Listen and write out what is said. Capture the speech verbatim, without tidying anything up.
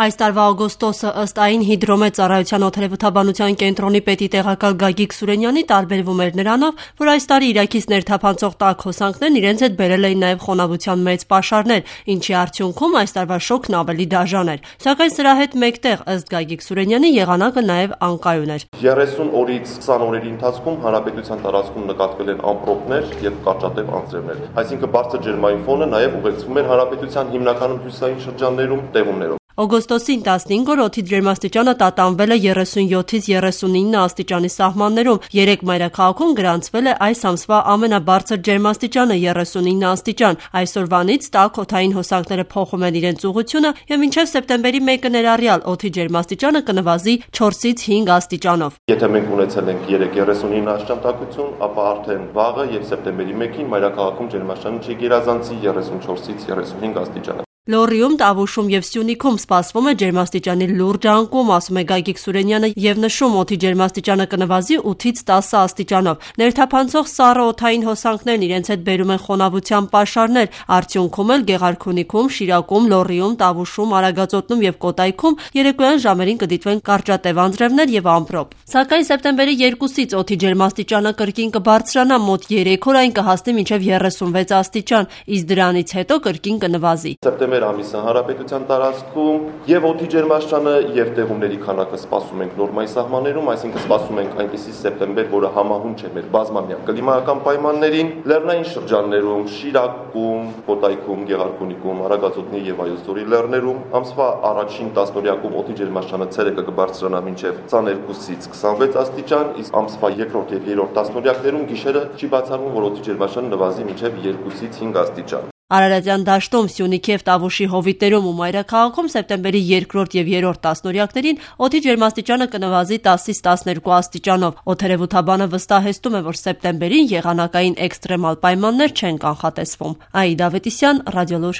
Այս տարվա օգոստոսը ըստ այն հիդրոմետ ծառայության օդերևութաբանության կենտրոնի պետի տեղակալ Գագիկ Սուրենյանի տարբերվում էր նրանով, որ այս տարի Իրաքից ներթափանցող տաք հոսանքներն իրենց հետ բերել էին նաև խոնավության մեծ պաշարներ, ինչի արդյունքում այս տարվա շոկն ավելի դաժան էր։ Սակայն սրա հետ մեկտեղ, ըստ Գագիկ Սուրենյանի, եղանակը նաև անկայուն էր։ երեսուն օրից քսան օրերի ընթացքում հանրապետության տարածքում նկատվել են ամպրոպներ եւ կարճատև անձրևներ։ Այսինքն բարձր ջերմային ֆոնը նաև ուղեկցվում էր հանրապետության հիմնականում հյուսիսային շրջաններում տեղումներով։ Օգոստոսին տասնհինգ օր օդի ջերմաստիճանը տատանվել է երեսունյոթից երեսունինը աստիճանի սահմաններում։ Երեկ մայրաքաղաքում գրանցվել է այս ամսվա ամենաբարձր ջերմաստիճանը երեսունինը աստիճան։ Այսօրվանից տաք օդային հոսանքները փոխում են իրենց ուղղությունը եւ մինչեւ սեպտեմբերի մեկը ներառյալ օդի ջերմաստիճանը կնվազի չորսից հինգ աստիճանով։ Եթե մենք ունեցել ենք երեք երեսունինը աստիճան տաքություն, ապա արդեն վաղը եւ սեպտեմբերի մեկին մայրաքաղաքում ջերմաստիճանը չգերազանցի երեսունչորսից երեսունհինգ աստիճան։ Լոռիում, Տավուշում եւ Սյունիքում սպասվում է ջերմաստիճանի լուրջ անկում, ասում է Գագիկ Սուրենյանը եւ նշում, օդի ջերմաստիճանը կնվազի ութից տասը աստիճանով։ Ներթափանցող սառը օդային հոսանքներն իրենց հետ բերում են խոնավության պաշարներ, արդյունքում էլ Գեղարքունիքում, Շիրակում, Լոռիում, Տավուշում, Արագածոտնum եւ Կոտայքում երեկոյան ժամերին կդիտվեն կարճատև անձրևներ եւ ամպրոպ։ Սակայն սեպտեմբերի երկուսից օդի ջերմաստիճանը կրկին կբարձրանա, մոտ երեք օր այն կհասնի մինչեւ երեսունվեց աստիճան, իսկ դրանից հետո կրկին կնվազի։ Սեպտեմբեր ամիսը հանրապետության տարածքում եւ օդի ջերմաստիճանը եւ տեղումների քանակը սպասում ենք նորմայի սահմաններում, այսինքն սպասում ենք այնպիսի սեպտեմբեր, որը համահունչ է մեր բազմամյա կլիմայական պայմաններին, լեռնային շրջաններում, Շիրակում, Կոտայքում, Գեղարքունիքում, Արագածոտնի եւ Վայոց ձորի լեռներում ամսվա առաջին տասնօրյակում օդի ջերմաստիճանը ցերեկը կբարձրանա մինչեւ քսաներկուսից քսանվեց աստիճան, իսկ ամսվա երկրորդ եւ երրորդ տասնօրյակներում գիշերը չի բացառվում, որ օդի ջերմաստիճանը նվազի մինչեւ երկուսից հինգ աստիճան։ Արարատյան դաշտում, Սյունիքի եւ Տավուշի հովիտերում ու մայրաքաղաքում սեպտեմբերի երկրորդ եւ երրորդ տասնօրյակներին օդի ջերմաստիճանը կնվազի տասից տասներկու աստիճանով։ Օդերևութաբանը վստահեցնում է, որ սեպտեմբերին եղանակային էքստրեմալ պայմաններ չեն կանխատեսվում։ Աիդա Ավետիսյան, Ռադիոլուր։